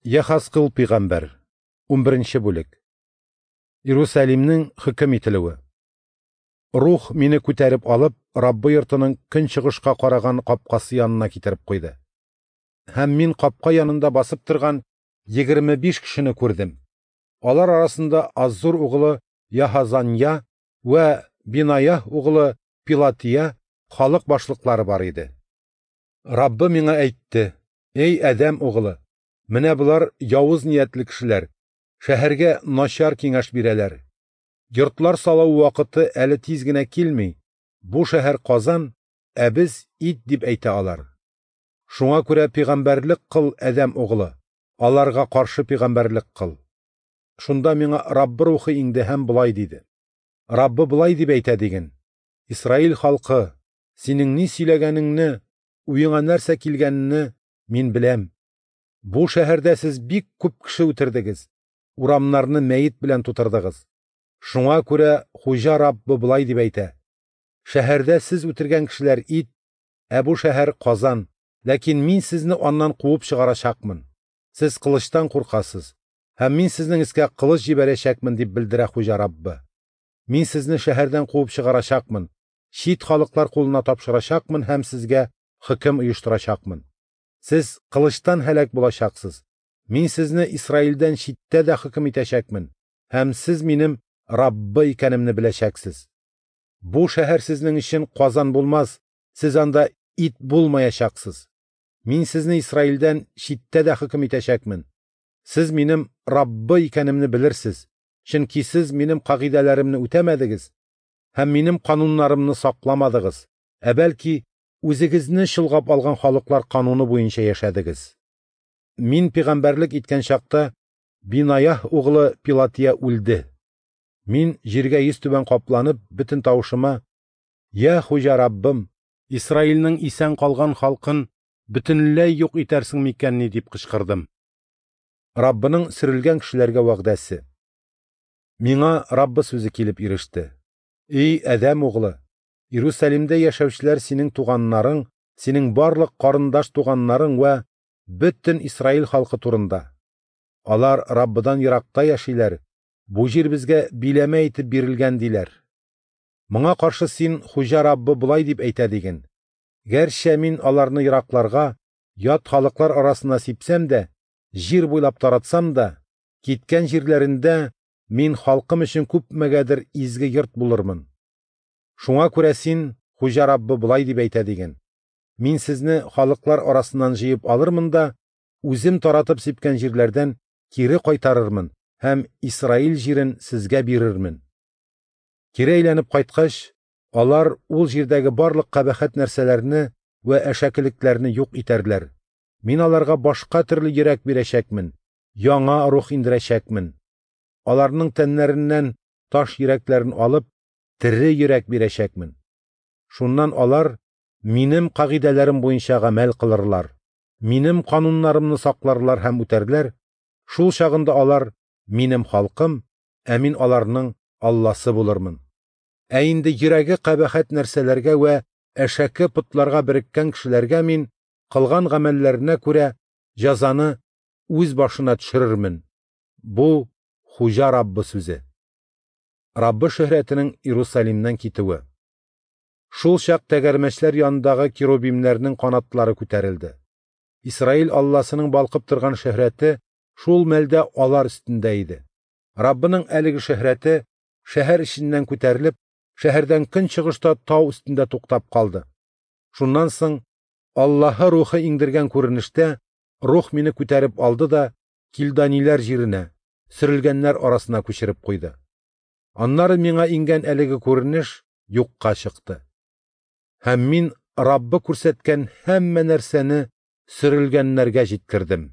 Яхазкыл пәйгамбәр, 11 бүлек. Иерусалимнең хөкем ителүе. Рух мине күтәреп алып, Раббы йортының көнчыгышка караган капкасы янына китереп куйды. Һәм мин капка янында басып торган 25 кешене күрдем. Алар арасында Аззур углы Яһазанья вә Бинаях углы Пилатия халык башлыклары бар иде. Раббы миңа әйтте: "Эй Адәм углы, менә болар явыз ниятле кешеләр, шәһәргә начар киңәш бирәләр. Йортлар салу вакыты әле тиз генә килми. Бу шәһәр Казан, ә без ит дип әйтә алар. Шуңа күрә пәйгамбәрлек кыл, Адәм углы, аларга каршы пәйгамбәрлек кыл." Шунда миңа Раббы рухы иңде һәм болай диде: Раббы болай дип әйтә диген: Исраил халкы, синең ни сөйләгәнеңне, уеңа нәрсә килгәнне мин беләм. Бу шәһәрдә сез бик күп кеше үтердегез, урамнарны мәет белән тутырдыгыз. Шуңа күрә Хуҗа Раббы болай дип әйтә: Шәһәрдә сез үтергән кешеләр ит, ә бу шәһәр Казан, ләкин мин сезне аннан куып чыгарачакмын. Сез кылычтан куркасыз, һәм мин сезнең өскә кылыч җибәрәчәкмен, дип белдерә Хуҗа Раббы. Мин сезне шәһәрдән куып чыгарачакмын, чит халыклар кулына тапшырачакмын һәм сезгә хөкем оештырачакмын. Сез кылычтан һәлак булачаксыз. Мин сезне Исраилдән читтә дә хөкем итәчәкмен, һәм сез минем Раббы икәнемне беләчәксез. Бу шәһәр сезнең өчен Казан булмас, сез анда ит булмаячаксыз. Мин сезне Исраилдән читтә дә хөкем итәчәкмен. Сез минем Раббы икәнемне белерсез, чөнки сез минем кагыйдәләремне үтәмәдегез һәм минем кануннарымны сакламадыгыз, ә бәлки үзегезне чолгап алган халыклар кануны буенча яшәдегез. Мин пәйгамбәрлек иткән чакта Бинаях углы Пилатия үлде. Мин җиргә йөзтүбән капланып, бөтен тавышыма: "Я Хуҗа Раббым, Исраилнең исән калган халкын бөтенләй юк итәрсең микәнни?" дип кычкырдым. Раббының сөрелгән кешеләргә вәгъдәсе. Миңа Раббы сүзе килеп иреште. Эй Адәм углы, Иерусалимдә яшәүчеләр синең туганнарың, синең барлык карындаш туганнарың вә бөтен Исраил халкы турында. Алар Раббыдан еракта яшиләр, бу җир безгә биләмә итеп бирелгән диләр. Моңа каршы син Хуҗа Раббы болай дип әйтә диген: Гәрчә мин аларны еракларга, ят халыклар арасына сипсәм дә, җир буйлап таратсам да, киткән җирләрендә мин халкым өчен күпмегәдер изге йорт булырмын. Шуңа күрә син, Хуҗа Раббы болай дип әйтә диген: Мин сезне халыклар арасыннан җыеп алырмын да, үзем таратып сипкән җирләрдән кире кайтарырмын һәм Исраил җирен сезгә бирермен. Кире әйләнеп кайткач, алар ул җирдәге барлык кабахәт нәрсәләрне вә әшәкелекләрне юк итәрләр. Мин аларга башка төрле йөрәк бирәчәкмен, яңа рух индерәчәкмен. Аларның тәннәреннән таш йөрәкләрен алып, тере йөрәк бирәчәкмен. Шуннан алар минем кагыйдәләрем буенча гамәл кылырлар, минем кануннарымны сакларлар һәм үтәрләр. Шул чагында алар минем халкым, ә мин аларның Алласы булырмын. Ә инде йөрәге кабахәт нәрсәләргә вә әшәке потларга береккән кешеләргә мин кылган гамәлләренә күрә җәзаны үз башына төшерермен. Бу Хуҗа Раббы сүзе. Раббы шөһрәтенең Иерусалимнән китүе. Шул чак тәгәрмәчләр янындагы керубимнәрнең канатлары күтәрелде. Исраил Алласының балкып торган шөһрәте шул мәлдә алар өстендә иде. Раббының әлеге шөһрәте шәһәр эченнән күтәрелеп, шәһәрдән көнчыгышта тау өстендә туктап калды. Шуннан соң Аллаһы рухы иңдергән күренештә рух мине күтәреп алды да килданиләр җиренә, сөрелгәннәр арасына күчереп куйды. Аннары миңа иңгән әлеге күренеш юкка чыкты. Һәм мин Раббы күрсәткән һәммә нәрсәне сөрелгәннәргә җиткердем.